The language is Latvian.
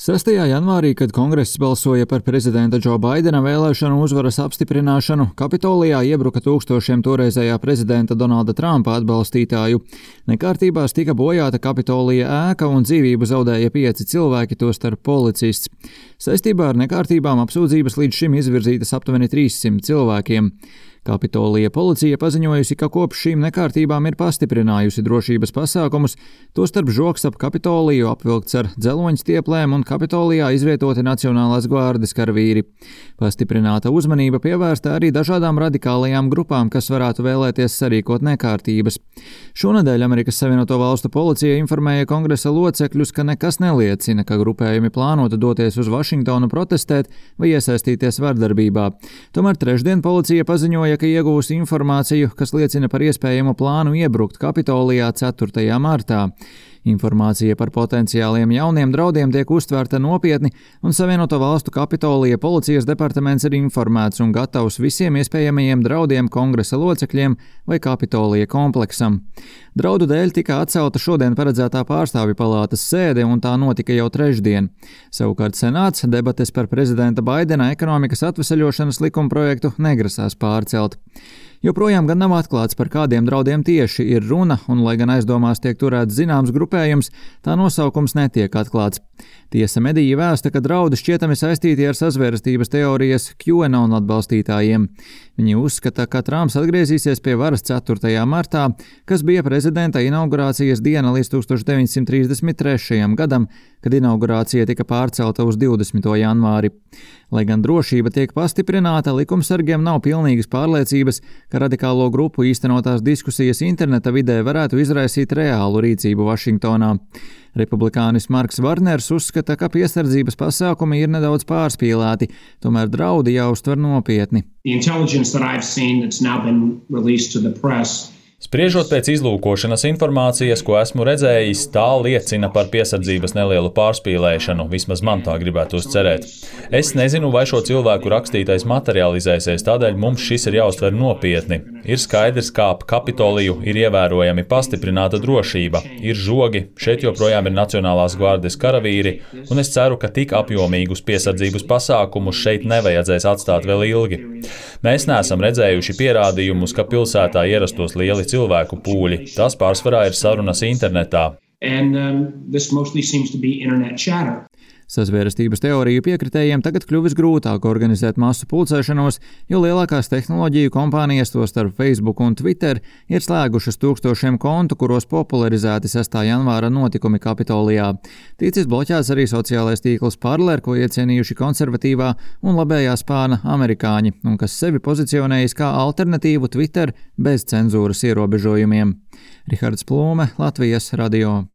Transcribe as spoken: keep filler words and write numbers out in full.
sestajā janvārī, kad Kongress balsoja par prezidenta Džo Baidena vēlēšanu uzvaras apstiprināšanu, Kapitolijā iebruka tūkstošiem toreizējā prezidenta Donalda Trumpa atbalstītāju. Nekārtībās tika bojāta Kapitolija ēka un dzīvību zaudēja pieci cilvēki, tostarp policists. Saistībā ar nekārtībām apsūdzības līdz šim izvirzītas aptuveni trīssimt cilvēkiem. Kapitolija policija paziņojusi, ka kopš šīm nekārtībām ir pastiprinājusi drošības pasākumus, tostarp žoks ap Kapitoliju apvilkts ar dzeloņstieplēm un Kapitolijā izvietoti Nacionālās gvardes karavīri. Pastiprināta uzmanība pievērsta arī dažādām radikālajām grupām, kas varētu vēlēties sarīkot nekārtības. Šonedēļ Amerikas Savienoto Valstu policija informēja kongresa locekļus, ka nekas neliecina, ka grupējumi plānotu doties uz Vašingtonu protestēt vai iesaistīties vardarbībā. Tomēr trešdien policija paziņoja, ka iegūsi informāciju, kas liecina par iespējamu plānu iebrukt Kapitolijā ceturtajā martā. Informācija par potenciāliem jauniem draudiem tiek uztvērta nopietni, un Savienoto Valstu Kapitolija policijas departaments ir informēts un gatavs visiem iespējamajiem draudiem kongresa locekļiem vai Kapitolija kompleksam. Draudu dēļ tika atcelta šodien paredzētā pārstāvju palātas sēde, un tā notika jau trešdien. Savukārt Senāts debates par prezidenta Baidena ekonomikas atveseļošanas likumprojektu negrasās pārcelt. Joprojām gan nav atklāts, par kādiem draudiem tieši ir runa, un, lai gan aizdomās tiek turēts zināms grupējums, tā nosaukums netiek atklāts. Tiesa mediji vēsta, ka draudi šķietami saistīti ar sazvērstības teorijas QAnon atbalstītājiem. Viņi uzskata, ka Trumps atgriezīsies pie varas ceturtajā martā, kas bija prezidenta inaugurācijas diena līdz tūkstoš deviņsimt trīsdesmit trešajam gadam, kad inaugurācija tika pārcelta uz divdesmito janvāri. Lai gan drošība tiek pastiprināta, likumsargiem nav pilnīgas pārliecības, ka radikālo grupu īstenotās diskusijas interneta vidē varētu izraisīt reālu rīcību Vašingtonā. Republikānis Marks Varners uzskata, ka piesardzības pasākumi ir nedaudz pārspīlēti, tomēr draudi jāuztver nopietni. Spriežot pēc izlūkošanas informācijas, ko esmu redzējis, tā liecina par piesardzības nelielu pārspīlēšanu, vismaz man tā gribētos cerēt. Es nezinu, vai šo cilvēku rakstītais materializēsies, tādēļ mums šis ir jāuztver nopietni. Ir skaidrs, kā ap Kapitoliju ir ievērojami pastiprināta drošība, ir žogi, šeit joprojām ir Nacionālās gvardes karavīri, un es ceru, ka tik apjomīgus piesardzības pasākumus šeit nevajadzēs atstāt vēl ilgi. Mēs neesam redzējuši pierādījumus, ka pilsētā ierastos lieli cilvēku pūļi. Tas pārsvarā ir sarunas internetā. And, um, this mostly seems to be internet chatter. Sazvērstības teoriju piekritējiem tagad kļuvis grūtāk organizēt masu pulcēšanos, jo lielākās tehnoloģiju kompānijas, tostarp Facebook un Twitter, ir slēgušas tūkstošiem kontu, kuros popularizēti sestā janvāra notikumi Kapitolijā. Ticis bloķēts arī sociālais tīkls Parler, ko iecienījuši konservatīvā un labējā spāna amerikāņi, un kas sevi pozicionējis kā alternatīvu Twitter bez cenzūras ierobežojumiem. Rihards Plūme, Latvijas radio.